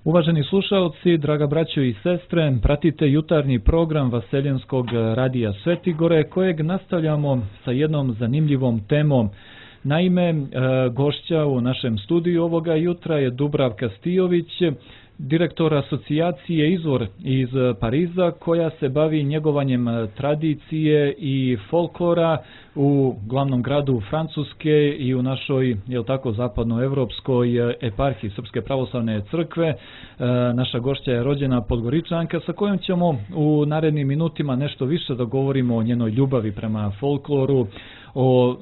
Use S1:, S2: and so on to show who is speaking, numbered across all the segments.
S1: Uvaženi slušalci, draga braćo i sestre, pratite jutarnji program Vaseljenskog radija Svetigore, kojeg nastavljamo sa jednom zanimljivom temom. Naime, gošća u našem studiju ovoga jutra je Dubravka Stijović, direktor asocijacije Izvor iz Pariza, koja se bavi njegovanjem tradicije i folklora u glavnom gradu Francuske i u našoj, zapadnoevropskoj eparhiji Srpske pravoslavne crkve. Naša gošća je rođena Podgoričanka, sa kojom ćemo u narednim minutima nešto više da govorimo o njenoj ljubavi prema folkloru, o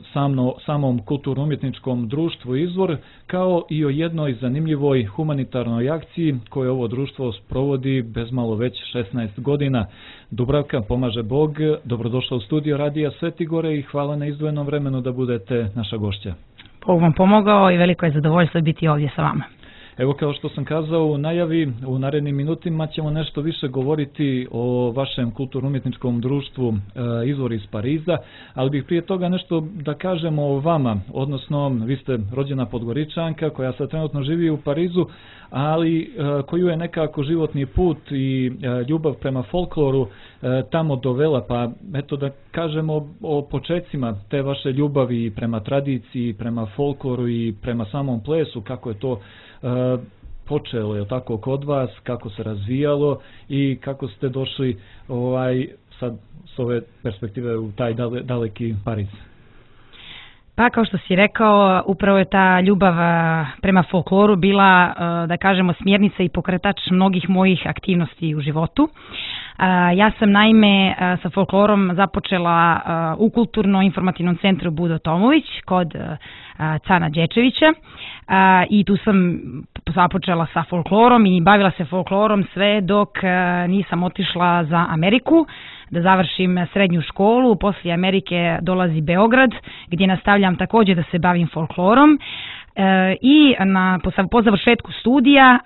S1: samom kulturno-umjetničkom društvu Izvor, kao i o jednoj zanimljivoj humanitarnoj akciji koju ovo društvo sprovodi bezmalo već 16 godina. Dubravka, pomaže Bog, dobrodošla u studio Radija Svetigore i hvala na izdvojenom vremenu da budete naša gošća.
S2: Bog vam pomogao i veliko je zadovoljstvo biti ovdje sa vama.
S1: Evo, kao što sam kazao u najavi, u narednim minutima ćemo nešto više govoriti o vašem kulturno-umjetničkom društvu Izvor iz Pariza, ali bih prije toga nešto da kažemo o vama, odnosno vi ste rođena Podgoričanka koja sad trenutno živi u Parizu, ali koju je nekako životni put i ljubav prema folkloru tamo dovela, pa eto da kažemo o počecima te vaše ljubavi prema tradiciji, prema folkloru i prema samom plesu, kako je to počelo, je tako, kod vas, kako se razvijalo i kako ste došli sad s ove perspektive u taj daleki Pariz.
S2: Pa kao što si rekao, upravo je ta ljubav prema folkloru bila, da kažemo, smjernica i pokretač mnogih mojih aktivnosti u životu. Ja sam naime sa folklorom započela u Kulturno-informativnom centru Budo Tomović kod Cana Đečevića i tu sam započela sa folklorom i bavila se folklorom sve dok nisam otišla za Ameriku da završim srednju školu. Poslije Amerike dolazi Beograd gdje nastavljam također da se bavim folklorom. I po završetku studija,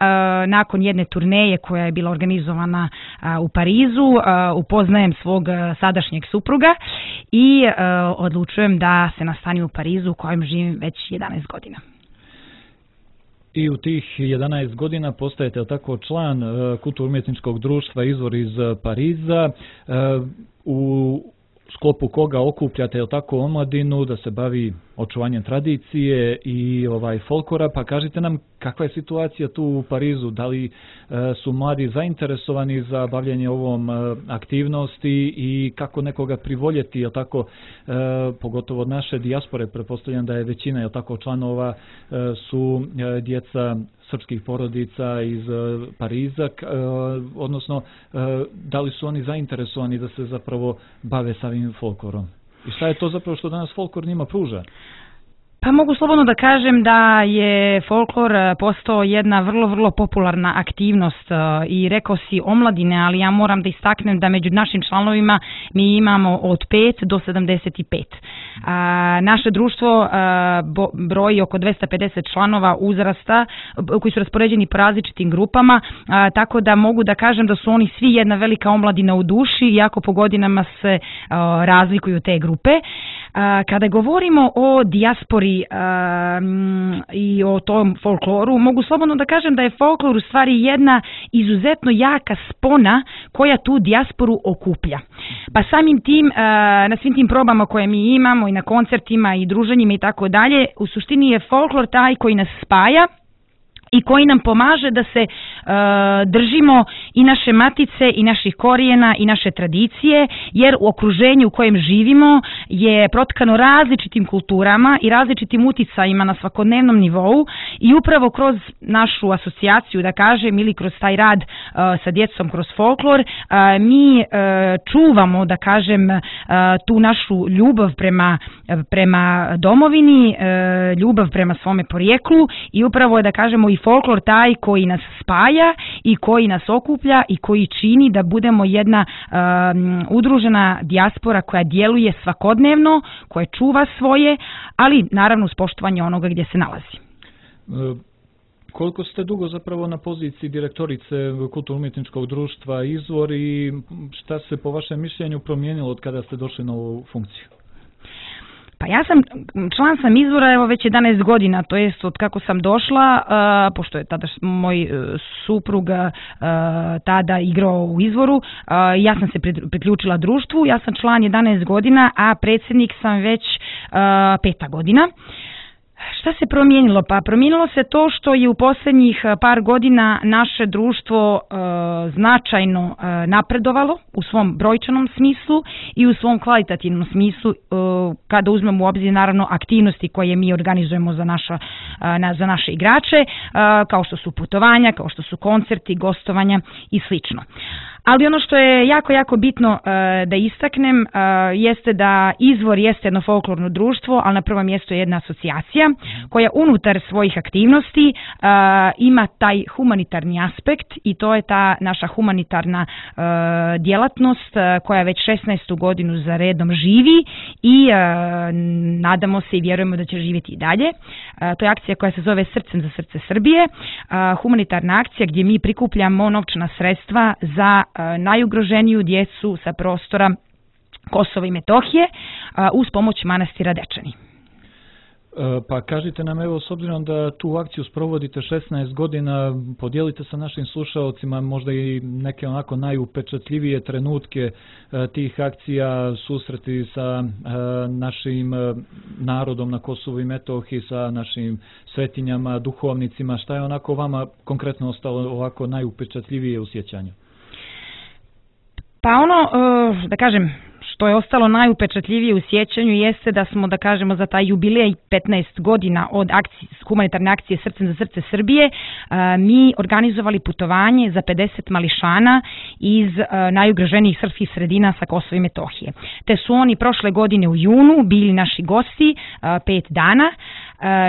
S2: nakon jedne turneje koja je bila organizovana u Parizu, upoznajem svog sadašnjeg supruga i odlučujem da se nastanim u Parizu u kojem živim već 11 godina.
S1: I u tih 11 godina postajete tako član kulturno-umjetničkog društva Izvor iz Pariza, u sklopu koga okupljate tako omladinu da se bavi očuvanjem tradicije i folklora, pa kažite nam kakva je situacija tu u Parizu, da li su mladi zainteresovani za bavljanje ovom aktivnosti i kako nekoga privoljeti, pogotovo od naše dijaspore, pretpostavljam da je većina članova su djeca srpskih porodica iz Pariza, odnosno da li su oni zainteresovani da se zapravo bave samim folklorom? I šta je to zapravo što danas folklor njima pruža?
S2: Pa mogu slobodno da kažem da je folklor postao jedna vrlo, vrlo popularna aktivnost i rekao si omladine, ali ja moram da istaknem da među našim članovima mi imamo od 5 do 75. Naše društvo broji oko 250 članova uzrasta koji su raspoređeni po različitim grupama, tako da mogu da kažem da su oni svi jedna velika omladina u duši, iako po godinama se razlikuju te grupe. Kada govorimo o dijaspori i o tom folkloru, mogu slobodno da kažem da je folklor u stvari jedna izuzetno jaka spona koja tu dijasporu okuplja. Pa samim tim, na svim tim probama koje mi imamo i na koncertima i druženjima i tako dalje, u suštini je folklor taj koji nas spaja i koji nam pomaže da se držimo i naše matice i naših korijena i naše tradicije, jer u okruženju u kojem živimo je protkano različitim kulturama i različitim uticajima na svakodnevnom nivou i upravo kroz našu asocijaciju, da kažem, ili kroz taj rad sa djecom kroz folklor, mi čuvamo, da kažem, tu našu ljubav prema domovini, ljubav prema svome porijeklu i upravo je, da kažemo, i folklor taj koji nas spaja i koji nas okuplja i koji čini da budemo jedna udružena dijaspora koja djeluje svakodnevno, koja čuva svoje, ali naravno uz poštovanje onoga gdje se nalazi.
S1: Koliko ste dugo zapravo na poziciji direktorice kulturno-umjetničkog društva Izvor i šta se po vašem mišljenju promijenilo od kada ste došli na ovu funkciju?
S2: Pa ja član izvora evo već 11 godina, to jest od kako sam došla, pošto je tada moj suprug tada igrao u izvoru, ja sam se priključila društvu, ja sam član 11 godina, a predsjednik sam već 5 godina. Šta se promijenilo? Pa promijenilo se to što je u posljednjih par godina naše društvo značajno napredovalo u svom brojčanom smislu i u svom kvalitativnom smislu, kada uzmemo u obzir naravno aktivnosti koje mi organizujemo za naše igrače, kao što su putovanja, kao što su koncerti, gostovanja i slično. Ali ono što je jako, jako bitno da istaknem jeste da Izvor jeste jedno folklorno društvo, ali na prvom mjestu je jedna asocijacija koja unutar svojih aktivnosti ima taj humanitarni aspekt i to je ta naša humanitarna djelatnost koja već 16. godinu za redom živi i nadamo se i vjerujemo da će živjeti i dalje. To je akcija koja se zove Srcem za srce Srbije, humanitarna akcija gdje mi prikupljamo novčana sredstva za najugroženiju djecu sa prostora Kosova i Metohije uz pomoć manastira Dečani.
S1: Pa kažite nam, evo, s obzirom da tu akciju sprovodite 16 godina, podijelite sa našim slušalcima možda i neke onako najupečatljivije trenutke tih akcija, susreti sa našim narodom na Kosovu i Metohiji, sa našim svetinjama, duhovnicima, šta je onako vama konkretno ostalo ovako najupečatljivije u sjećanju?
S2: Pa ono, da kažem, što je ostalo najupečatljivije u sjećanju jeste da smo, da kažemo, za taj jubilej 15 godina od humanitarne akcije Srcem za srce Srbije, mi organizovali putovanje za 50 mališana iz najugroženijih srpskih sredina sa Kosova i Metohije. Te su oni prošle godine u junu bili naši gosti 5 dana,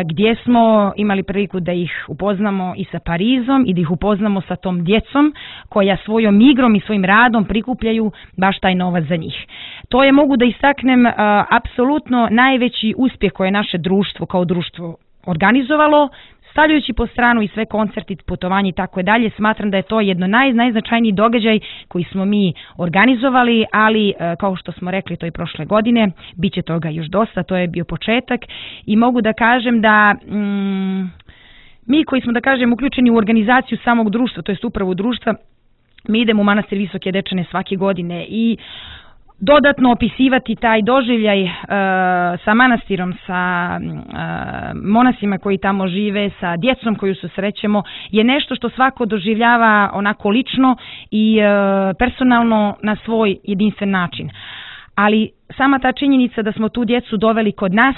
S2: gdje smo imali priliku da ih upoznamo i sa Parizom i da ih upoznamo sa tom djecom koja svojom igrom i svojim radom prikupljaju baš taj novac za njih. To je, mogu da istaknem, apsolutno najveći uspjeh koje je naše društvo kao društvo organizovalo, stavljajući po stranu i sve koncerti, putovanje i tako dalje. Smatram da je to jedno najznačajniji događaj koji smo mi organizovali, ali kao što smo rekli to i prošle godine, bit će toga još dosta, to je bio početak i mogu da kažem da mi koji smo, da kažem, uključeni u organizaciju samog društva, to jest upravu društva, mi idemo u manastir Visoke Dečane svake godine i dodatno opisivati taj doživljaj sa manastirom, sa monasima koji tamo žive, sa djecom koju susrećemo, je nešto što svako doživljava onako lično i personalno na svoj jedinstven način. Ali sama ta činjenica da smo tu djecu doveli kod nas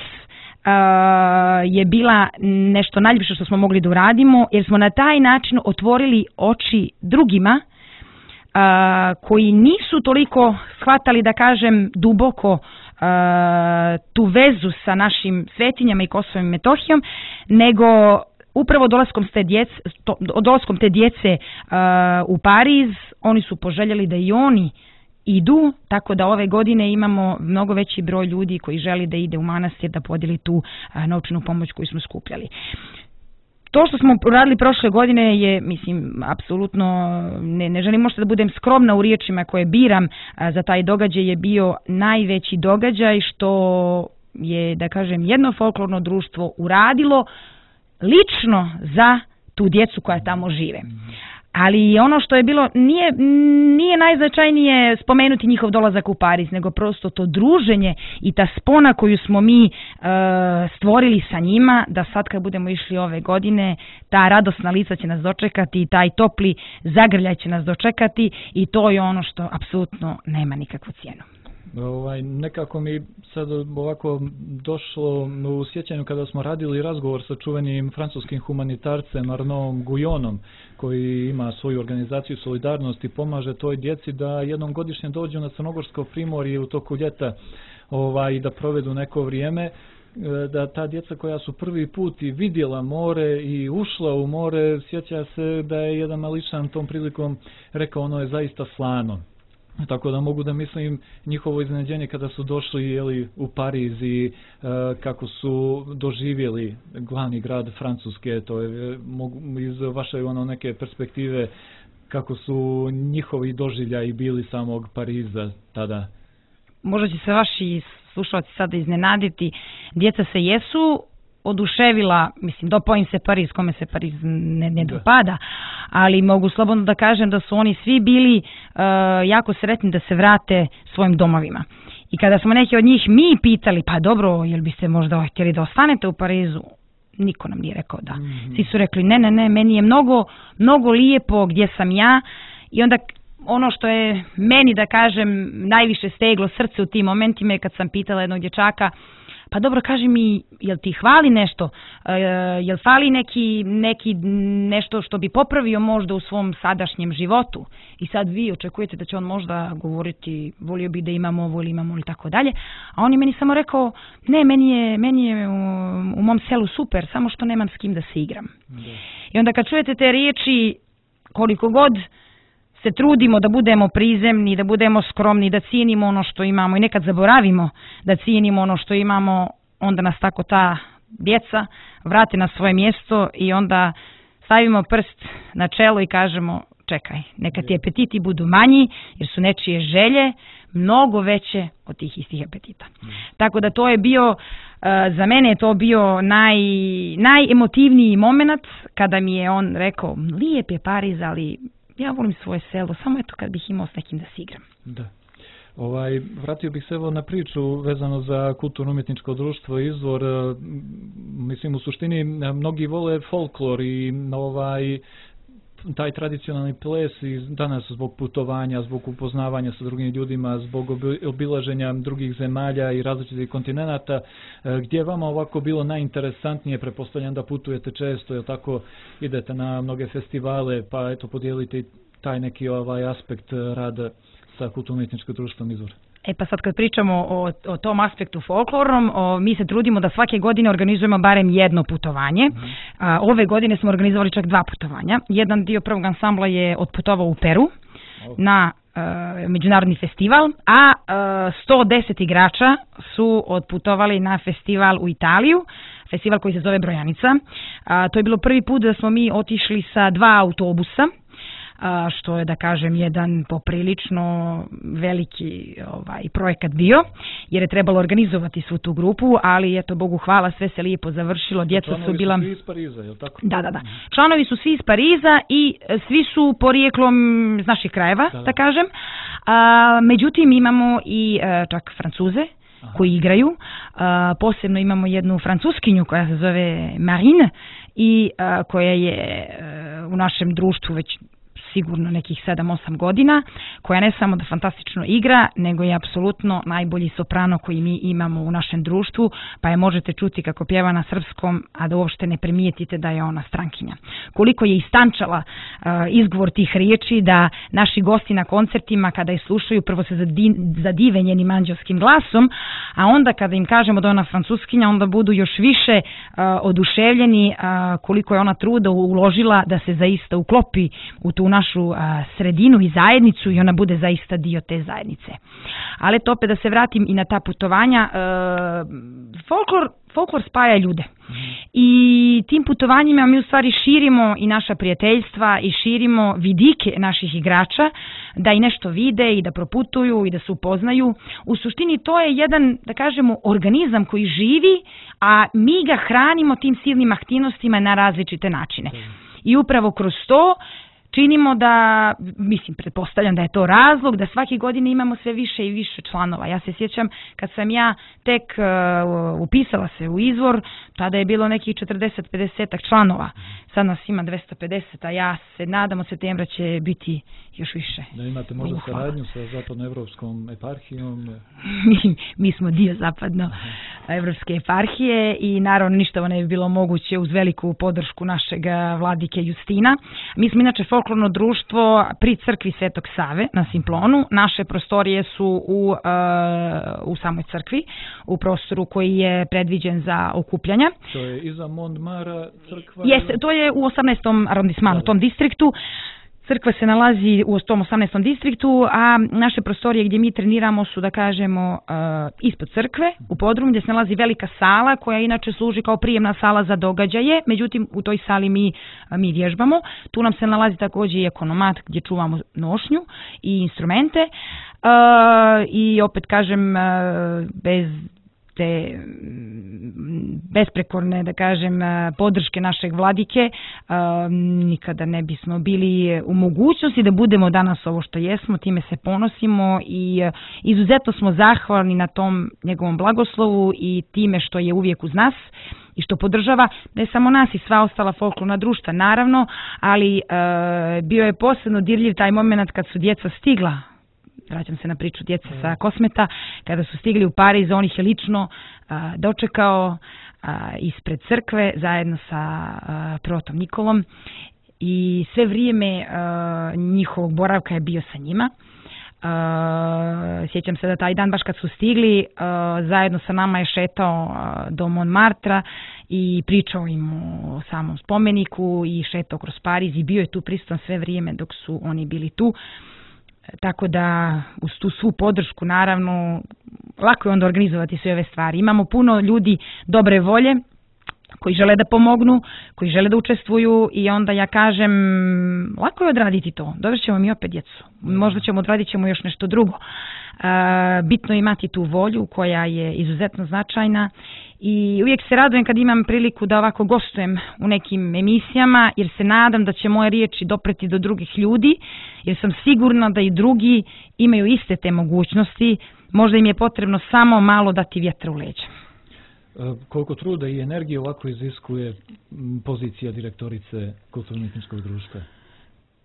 S2: je bila nešto najljepše što smo mogli da uradimo, jer smo na taj način otvorili oči drugima koji nisu toliko shvatali, da kažem, duboko tu vezu sa našim svetinjama i Kosovom i Metohijom, nego upravo dolaskom te djece u Pariz, oni su poželjeli da i oni idu, tako da ove godine imamo mnogo veći broj ljudi koji želi da ide u manastir da podijeli tu novčanu pomoć koju smo skupljali. To što smo radili prošle godine je, mislim, apsolutno, ne želim možda da budem skromna u riječima koje biram za taj događaj, je bio najveći događaj što je, da kažem, jedno folklorno društvo uradilo lično za tu djecu koja tamo žive. Ali ono što je bilo, nije najznačajnije spomenuti njihov dolazak u Pariz, nego prosto to druženje i ta spona koju smo mi stvorili sa njima, da sad kad budemo išli ove godine, ta radosna lica će nas dočekati i taj topli zagrljaj će nas dočekati i to je ono što apsolutno nema nikakvu cijenu.
S1: Nekako mi sad ovako došlo u sjećanju kada smo radili razgovor sa čuvenim francuskim humanitarcem Arnaudom Guyonom, koji ima svoju organizaciju Solidarnost i pomaže toj djeci da jednom godišnje dođu na Crnogorsko primorje u toku ljeta i da provedu neko vrijeme, da ta djeca koja su prvi put i vidjela more i ušla u more, sjeća se da je jedan mališan tom prilikom rekao ono je zaista slano. Tako da mogu da mislim njihovo iznenađenje kada su došli u Pariz i kako su doživjeli glavni grad Francuske, to je iz vaše neke perspektive kako su njihovi doživljaji bili samog Pariza tada.
S2: Možda će se vaši slušalci sada iznenaditi, djeca se jesu oduševila, mislim, dopao im se Pariz, kome se Pariz ne dopada, ali mogu slobodno da kažem da su oni svi bili jako sretni da se vrate svojim domovima. I kada smo neki od njih mi pitali, pa dobro, jel biste možda htjeli da ostanete u Parizu, niko nam nije rekao da. Svi su rekli ne, meni je mnogo lijepo gdje sam ja. I onda ono što je meni, da kažem, najviše steglo srce u tim momentima je kad sam pitala jednog dječaka, pa dobro, kaži mi, jel ti hvali nešto, jel fali nešto što bi popravio možda u svom sadašnjem životu, i sad vi očekujete da će on možda govoriti, volio bi da imamo ovo ili imamo ili tako dalje, a on je meni samo rekao, ne, meni je u mom selu super, samo što nemam s kim da se igram. I onda kad čujete te riječi, koliko god se trudimo da budemo prizemni, da budemo skromni, da cijenimo ono što imamo i nekad zaboravimo da cijenimo ono što imamo, onda nas tako ta djeca vrate na svoje mjesto i onda stavimo prst na čelo i kažemo, čekaj, neka ti apetiti budu manji jer su nečije želje mnogo veće od tih istih apetita. Tako da to je bio, za mene je to bio najemotivniji moment kada mi je on rekao, lijep je Pariz, ali ja volim svoje selo, samo eto kad bih imao s nekim da se igram.
S1: Da. Vratio bih se evo na priču vezano za kulturno-umjetničko društvo Izvor. Mislim, u suštini mnogi vole folklor i taj tradicionalni ples i danas zbog putovanja, zbog upoznavanja sa drugim ljudima, zbog obilaženja drugih zemalja i različitih kontinenata, gdje je vama ovako bilo najinteresantnije, pretpostavljam da putujete često, jel tako, idete na mnoge festivale, pa eto podijelite taj neki aspekt rada sa kulturno-umjetničkim društvom Izvor.
S2: Pa sad kad pričamo o tom aspektu folklornom, mi se trudimo da svake godine organizujemo barem jedno putovanje. Ove godine smo organizovali čak 2 putovanja. Jedan dio prvog ansambla je otputovao u Peru na međunarodni festival, a 110 igrača su otputovali na festival u Italiju, festival koji se zove Brojanica. To je bilo prvi put da smo mi otišli sa 2 autobusa, što je, da kažem, jedan poprilično veliki projekat bio, jer je trebalo organizovati svu tu grupu, ali eto, Bogu hvala, sve se lijepo završilo. Djeca su bila...
S1: Članovi su svi iz Pariza, je li tako?
S2: Da. Članovi su svi iz Pariza i svi su porijeklom iz naših krajeva, da kažem. Međutim, imamo i čak Francuze koji igraju. Posebno imamo jednu Francuskinju koja se zove Marine i koja je u našem društvu već sigurno nekih 7-8 godina, koja ne samo da fantastično igra, nego je apsolutno najbolji soprano koji mi imamo u našem društvu, pa je možete čuti kako pjeva na srpskom, a da uopšte ne primijetite da je ona strankinja. Koliko je istančala izgovor tih riječi, da naši gosti na koncertima kada je slušaju, prvo se zadive njenim anđelskim glasom, a onda kada im kažemo da je ona francuskinja, onda budu još više oduševljeni koliko je ona truda uložila da se zaista uklopi u tu našu sredinu i zajednicu i ona bude zaista dio te zajednice. Ali to opet da se vratim i na ta putovanja, folklor spaja ljude. I tim putovanjima mi u stvari širimo i naša prijateljstva i širimo vidike naših igrača da i nešto vide i da proputuju i da se upoznaju. U suštini to je jedan, da kažemo, organizam koji živi, a mi ga hranimo tim silnim aktivnostima na različite načine. I upravo kroz to činimo da, mislim, pretpostavljam da je to razlog, da svake godine imamo sve više i više članova. Ja se sjećam kad sam ja tek upisala se u Izvor, tada je bilo nekih 40-50 članova. Sad nas ima 250, a ja se nadam od septembra će biti još više.
S1: Da imate možda saradnju sa zapadnoevropskom eparhijom?
S2: Mi smo dio zapadnoevropske eparhije i naravno ništa ne bi bilo moguće uz veliku podršku našeg vladike Justina. Mi smo inače folklorno društvo pri crkvi Svetog Save na Simplonu. Naše prostorije su u samoj crkvi, u prostoru koji je predviđen za okupljanja.
S1: To je iza Montmara crkva?
S2: Jeste, to je u 18. arondismanu, u tom distriktu. Crkva se nalazi u tom 18. distriktu, a naše prostorije gdje mi treniramo su, da kažemo, ispod crkve, u podrumu, gdje se nalazi velika sala koja inače služi kao prijemna sala za događaje, međutim u toj sali mi vježbamo. Tu nam se nalazi također i ekonomat gdje čuvamo nošnju i instrumente. I opet kažem, bez te besprekorne, da kažem, podrške našeg vladike, nikada ne bismo bili u mogućnosti da budemo danas ovo što jesmo, time se ponosimo i izuzetno smo zahvalni na tom njegovom blagoslovu i time što je uvijek uz nas i što podržava ne samo nas i sva ostala folklorna društva, naravno, ali bio je posebno dirljiv taj moment kad su djeca stigla, vraćam se na priču djece sa Kosmeta, kada su stigli u Pariz, on ih je lično dočekao ispred crkve zajedno sa protom Nikolom i sve vrijeme njihovog boravka je bio sa njima. Sjećam se da taj dan baš kad su stigli, zajedno sa nama je šetao do Montmartra i pričao im o samom spomeniku i šetao kroz Pariz i bio je tu prisutan sve vrijeme dok su oni bili tu. Tako da uz tu svu podršku naravno lako je onda organizovati sve ove stvari. Imamo puno ljudi dobre volje koji žele da pomognu, koji žele da učestvuju i onda ja kažem lako je odraditi to. Dovešćemo mi opet djecu. Možda odradit ćemo još nešto drugo. Bitno je imati tu volju koja je izuzetno značajna i uvijek se radujem kad imam priliku da ovako gostujem u nekim emisijama jer se nadam da će moje riječi dopreti do drugih ljudi jer sam sigurna da i drugi imaju iste te mogućnosti. Možda im je potrebno samo malo dati vjetra u leđa.
S1: Koliko truda i energije ovako iziskuje pozicija direktorice Kulturno-umjetničkog društva?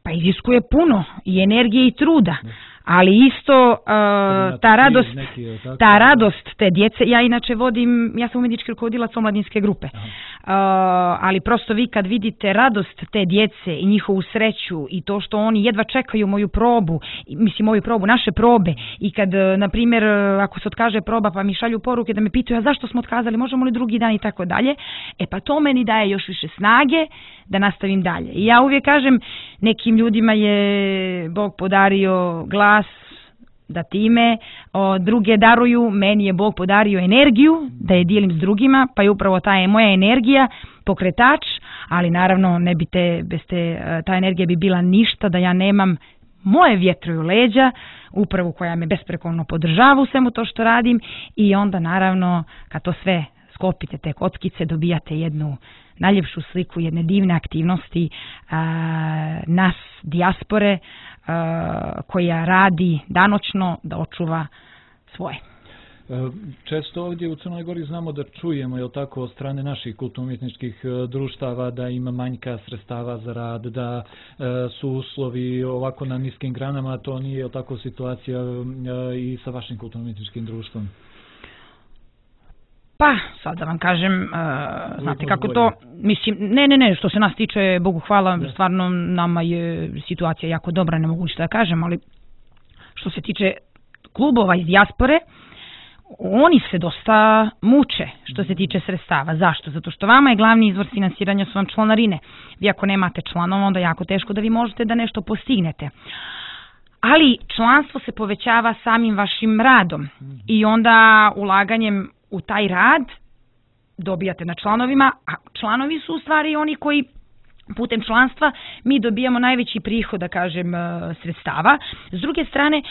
S1: Pa
S2: iziskuje puno i energije i truda, ali isto ta radost te djece, ja inače ja sam umjetnički rukovodilac omladinske grupe, ali prosto vi kad vidite radost te djece i njihovu sreću i to što oni jedva čekaju moju probu, naše probe i kad, na primjer, ako se otkaže proba pa mi šalju poruke da me pitaju a zašto smo otkazali, možemo li drugi dan i tako dalje, pa to meni daje još više snage da nastavim dalje. I ja uvijek kažem, nekim ljudima je Bog podario glas da time druge daruju, meni je Bog podario energiju da je dijelim s drugima, pa je upravo ta je moja energija pokretač, ali naravno ne bi ta energija bi bila ništa da ja nemam moje vjetre u leđa, upravu koja me besprekorno podržava u svemu to što radim i onda naravno kad to sve sklopite te kockice dobijate jednu najljepšu sliku jedne divne aktivnosti nas dijaspore koja radi danoćno da očuva svoje.
S1: Često ovdje u Crnoj Gori znamo da čujemo, jel tako, od strane naših kulturno-umjetničkih društava da ima manjka sredstava za rad, da su uslovi ovako na niskim granama, to nije, jel tako, situacija i sa vašim kulturno-umjetničkim društvom?
S2: Pa, sad da vam kažem, znate kako to, mislim, ne, što se nas tiče, Bogu hvala, stvarno nama je situacija jako dobra, ne mogu ništa da kažem, ali što se tiče klubova iz dijaspore, oni se dosta muče što se tiče sredstava. Zašto? Zato što vama je glavni izvor finansiranja su vam članarine. Vi ako nemate članova, onda je jako teško da vi možete da nešto postignete. Ali članstvo se povećava samim vašim radom i onda ulaganjem u taj rad dobijate na članovima, a članovi su u stvari oni koji putem članstva mi dobijamo najveći prihod, da kažem, sredstava. S druge strane,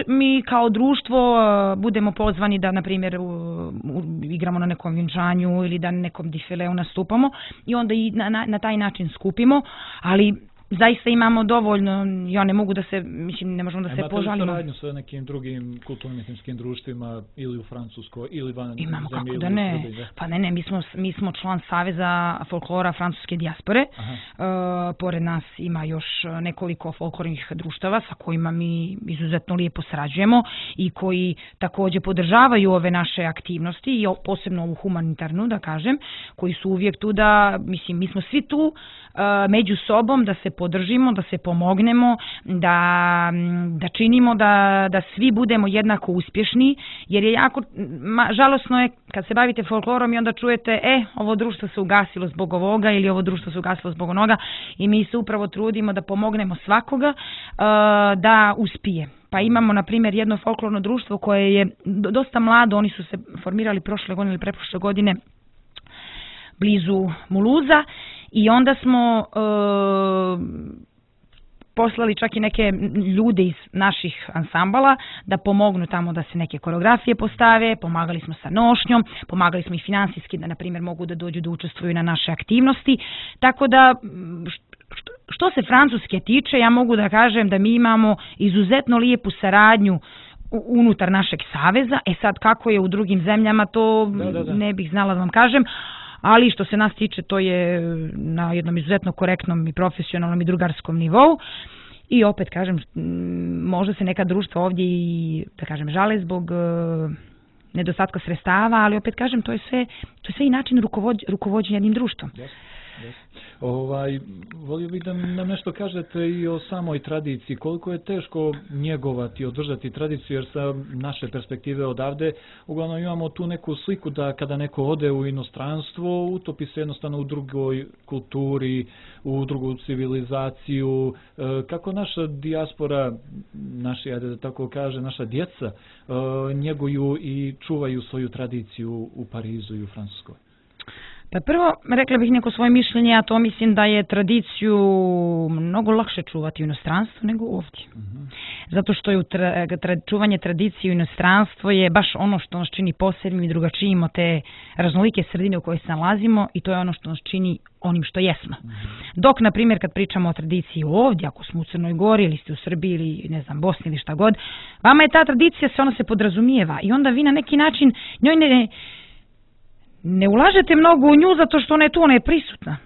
S2: mi kao društvo budemo pozvani da, na primjer, igramo na nekom vjenčanju ili da na nekom difileu nastupamo i onda i na taj način skupimo, ali zaista imamo dovoljno, ja ne mogu da se, mislim, ne možemo da se požalimo.
S1: Imate li saradnju sa nekim drugim kulturno-umjetničkim društvima ili u Francuskoj ili van zemlje?
S2: Imamo, kako da ne. Pa ne, mi smo član Saveza folklora francuske dijaspore. Pored nas ima još nekoliko folklornih društava sa kojima mi izuzetno lijepo sarađujemo i koji također podržavaju ove naše aktivnosti i posebno ovu humanitarnu, da kažem, koji su uvijek tu da, mislim, mi smo svi tu među sobom da se podržimo, da se pomognemo, da činimo da svi budemo jednako uspješni, jer je jako žalosno je kad se bavite folklorom i onda čujete ovo društvo se ugasilo zbog ovoga ili ovo društvo se ugasilo zbog onoga i mi se upravo trudimo da pomognemo svakoga da uspije. Pa imamo, na primjer, jedno folklorno društvo koje je dosta mlado, oni su se formirali prošle godine ili pretprošle godine blizu Muluza i onda smo poslali čak i neke ljude iz naših ansambala da pomognu tamo da se neke koreografije postave, pomagali smo sa nošnjom, pomagali smo i finansijski da, na primjer, mogu da dođu da učestvuju na naše aktivnosti. Tako da, što se Francuske tiče, ja mogu da kažem da mi imamo izuzetno lijepu saradnju unutar našeg saveza. Sad kako je u drugim zemljama, to ne bih znala da vam kažem, ali što se nas tiče, to je na jednom izuzetno korektnom i profesionalnom i drugarskom nivou. I opet kažem, možda se neka društva ovdje i, da kažem, žale zbog nedostatka sredstava, ali opet kažem, to je sve i način rukovođenja jednim društvom.
S1: Volio bih da nam nešto kažete i o samoj tradiciji. Koliko je teško njegovati, održati tradiciju, jer sa naše perspektive odavde uglavnom imamo tu neku sliku da kada neko ode u inostranstvo, utopi se jednostavno u drugoj kulturi, u drugu civilizaciju. Kako naša dijaspora, da tako kaže, naša djeca njeguju i čuvaju svoju tradiciju u Parizu i u Francuskoj?
S2: Pa prvo, rekla bih neko svoje mišljenje, a to mislim da je tradiciju mnogo lakše čuvati u inostranstvu nego ovdje. Zato što je čuvanje tradicije u inostranstvu je baš ono što nas čini posebnim i drugačijim od te raznolike sredine u kojoj se nalazimo, i to je ono što nas čini onim što jesmo. Dok, na primjer, kad pričamo o tradiciji ovdje, ako smo u Crnoj Gori ili ste u Srbiji ili, ne znam, Bosni ili šta god, vama je ta tradicija, ona se podrazumijeva i onda vi na neki način njoj ne ulažete mnogo u nju zato što ona je tu, ona je prisutna.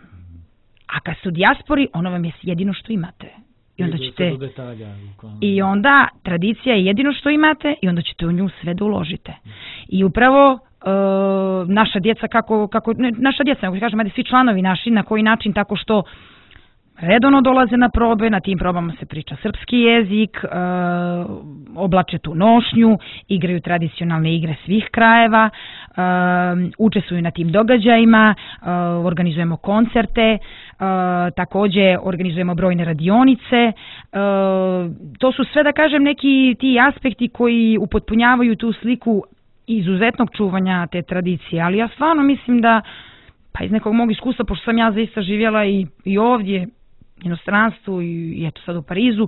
S2: A kad ste u dijaspori, ono vam je jedino što imate. I onda tradicija je jedino što imate i onda ćete u nju sve da uložite. I upravo naša djeca, naša djeca, nego kažem, svi članovi naši, na koji način, tako što redovno dolaze na probe, na tim probama se priča srpski jezik, oblače tu nošnju, igraju tradicionalne igre svih krajeva, učestvuju na tim događajima, organizujemo koncerte, također organizujemo brojne radionice. To su sve, da kažem, neki ti aspekti koji upotpunjavaju tu sliku izuzetnog čuvanja te tradicije, ali ja stvarno mislim da, pa iz nekog mog iskustva, pošto sam ja zaista živjela i ovdje, inostranstvu i eto sad u Parizu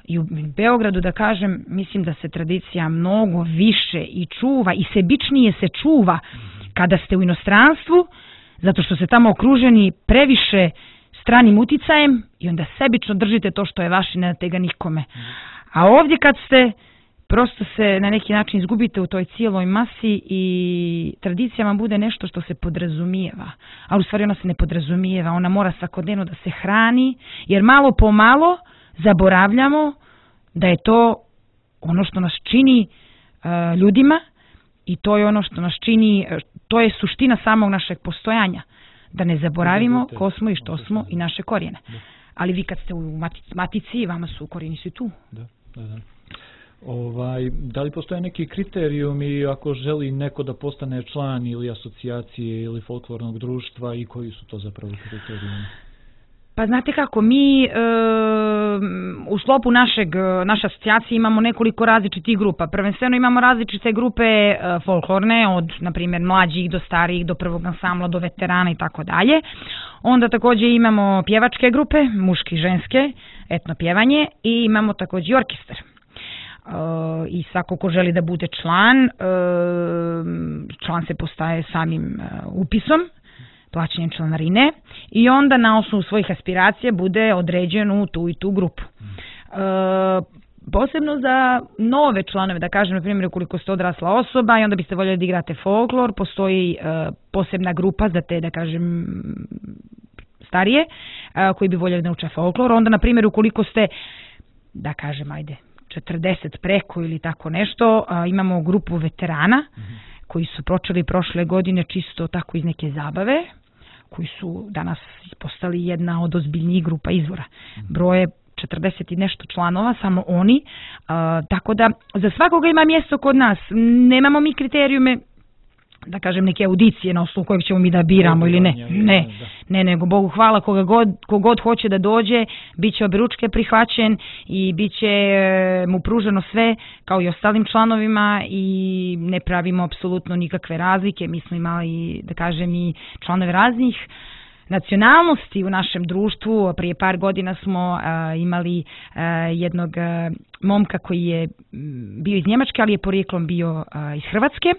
S2: i u Beogradu, da kažem, mislim da se tradicija mnogo više i čuva i sebičnije se čuva kada ste u inostranstvu, zato što ste tamo okruženi previše stranim uticajem i onda sebično držite to što je vaše, ne date ga nikome. A ovdje kad ste, prosto se na neki način izgubite u toj cijeloj masi i tradicija vam bude nešto što se podrazumijeva. Ali u stvari ona se ne podrazumijeva, ona mora svakodnevno da se hrani, jer malo po malo zaboravljamo da je to ono što nas čini ljudima i to je ono što nas čini, to je suština samog našeg postojanja. Da ne zaboravimo ko smo i što smo i naše korijene. Ali vi kad ste u matici, vama su korijeni svi tu.
S1: Da li postoje neki kriterijumi ako želi neko da postane član ili asocijacije ili folklornog društva i koji su to zapravo kriterijumi?
S2: Pa znate kako, mi u sklopu naše asocijacije imamo nekoliko različitih grupa. Prvenstveno imamo različite grupe folklorne, od, na primjer, mlađih do starijih, do prvog ansambla, do veterana i tako dalje. Onda također imamo pjevačke grupe, muške i ženske, etno pjevanje, i imamo također i orkestar. I svako ko želi da bude član se postaje samim upisom, plaćanjem članarine, i onda na osnovu svojih aspiracija bude određen u tu i tu grupu. Posebno za nove članove, da kažem, na primjer, ukoliko ste odrasla osoba i onda biste voljeli da igrate folklor, postoji posebna grupa za te, da kažem, starije, koji bi voljeli da uče folklor. Onda, na primjer, ukoliko ste, da kažem, 40 preko ili tako nešto, imamo grupu veterana koji su počeli prošle godine čisto tako iz neke zabave, koji su danas postali jedna od ozbiljnijih grupa izvora. Broje 40 i nešto članova, samo oni, tako da za svakoga ima mjesto kod nas. Nemamo mi kriterijume, da kažem, neke audicije na osnovu kojeg ćemo mi da biramo ili ne. Ne, nego Bogu hvala, kogod hoće da dođe, bit će objeručke prihvaćen i bit će mu pruženo sve kao i ostalim članovima i ne pravimo apsolutno nikakve razlike. Mi smo imali, da kažem, i članove raznih nacionalnosti u našem društvu. Prije par godina smo imali jednog momka koji je bio iz Njemačke, ali je porijeklom bio iz Hrvatske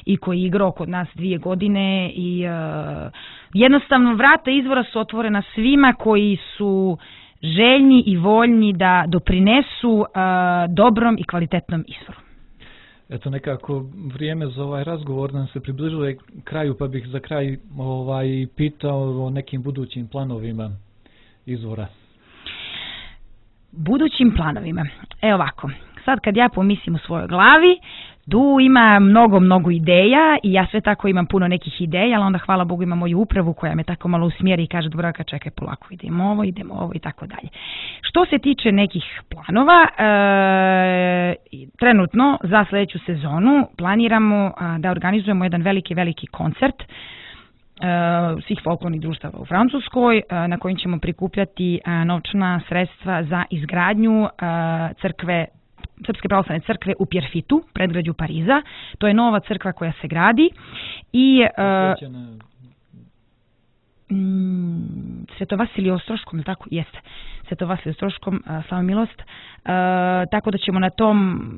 S2: i koji je igrao kod nas 2 godine i jednostavno vrata izvora su otvorena svima koji su željni i voljni da doprinesu dobrom i kvalitetnom izvoru.
S1: Eto, nekako vrijeme za ovaj razgovor nam se približuje kraju, pa bih za kraj pitao o nekim budućim planovima izvora.
S2: Budućim planovima. Evo ovako, sad kad ja pomislim u svojoj glavi, tu ima mnogo ideja i ja sve tako imam puno nekih ideja, ali onda hvala Bogu imam moju upravu koja me tako malo usmjeri i kaže Dubravka čekaj polako, idemo ovo i tako dalje. Što se tiče nekih planova, trenutno za sljedeću sezonu planiramo da organizujemo jedan veliki koncert svih folklornih društava u Francuskoj na kojim ćemo prikupljati novčana sredstva za izgradnju Srpske pravoslavne crkve u Pierrefitu, predgrađu Pariza. To je nova crkva koja se gradi i Sveto Vasilije Ostroškom, tako jeste. Sveto Vasilije Ostroškom, slava milost. Tako da ćemo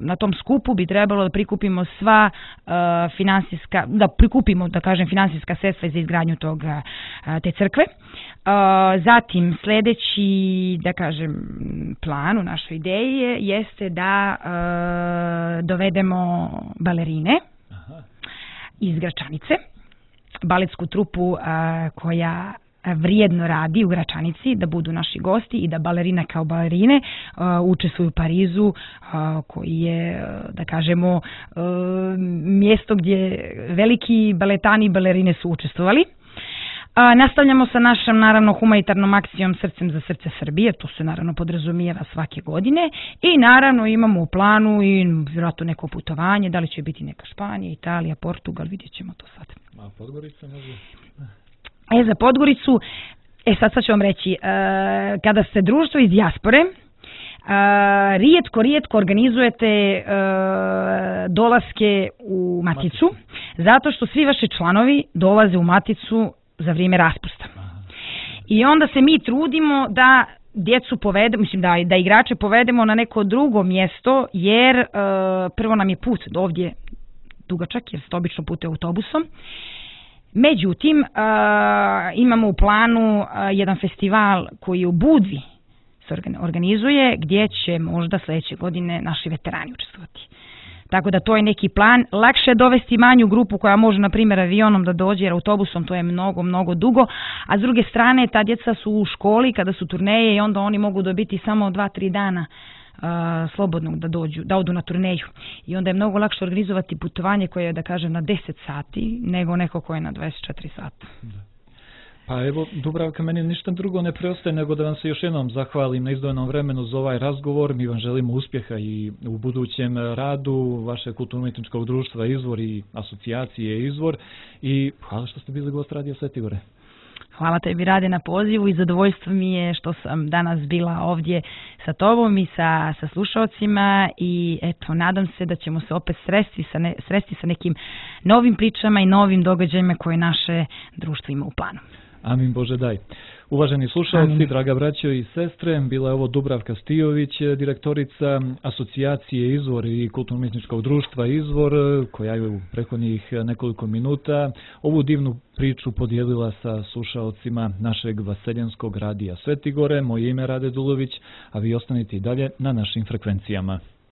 S2: na tom skupu bi trebalo da prikupimo sva finansijska sredstva za izgradnju te crkve. Zatim sljedeći, plan u našoj ideji jeste da dovedemo balerine iz Gračanice, baletsku trupu koja vrijedno radi u Gračanici, da budu naši gosti i da balerina kao balerine učestvuju u Parizu, koji je, mjesto gdje veliki baletani i balerine su učestvovali. Nastavljamo sa našom, naravno, humanitarnom akcijom Srcem za srce Srbije, to se naravno podrazumijeva svake godine i naravno imamo u planu i vjerojatno neko putovanje, da li će biti neka Španija, Italija, Portugal, vidjet ćemo to sad.
S1: A Podgorica može?
S2: Za Podgoricu, sad ću vam reći, kada ste društvo iz dijaspore, rijetko organizujete dolaske u Maticu, zato što svi vaši članovi dolaze u Maticu za vrijeme raspusta. I onda se mi trudimo da djecu povedemo, da igrače povedemo na neko drugo mjesto, jer prvo nam je put do ovdje dugačak, jer se obično putuje autobusom. Međutim, imamo u planu jedan festival koji u Budvi se organizuje, gdje će možda sljedeće godine naši veterani učestvovati. Tako da to je neki plan. Lakše je dovesti manju grupu koja može, na primjer, avionom da dođe, jer autobusom to je mnogo dugo, a s druge strane ta djeca su u školi kada su turneje i onda oni mogu dobiti samo 2-3 dana slobodnog da odu na turneju. I onda je mnogo lakše organizovati putovanje koje je, na 10 sati, nego neko koje je na 24 sata.
S1: Pa evo, Dubravka, meni ništa drugo ne preostaje nego da vam se još jednom zahvalim na izdvojenom vremenu za ovaj razgovor. Mi vam želimo uspjeha i u budućem radu vašeg kulturno-umjetničkog društva Izvor i asocijacije Izvor. I hvala što ste bili gost Radija Sveti Gore.
S2: Hvala tebi, Rade, na pozivu i zadovoljstvo mi je što sam danas bila ovdje sa tobom i sa slušalcima i eto, nadam se da ćemo se opet sresti sa nekim novim pričama i novim događajima koje naše društvo ima u planu.
S1: Amin Bože daj. Uvaženi slušalci, draga braćo i sestre, bila je ovo Dubravka Stijović, direktorica asocijacije Izvor i kulturno-umjetničkog društva Izvor, koja je u prethodnih nekoliko minuta ovu divnu priču podijelila sa slušalcima našeg vaseljenskog radija Sveti Gore. Moje ime je Rade Dulović, a vi ostanite i dalje na našim frekvencijama.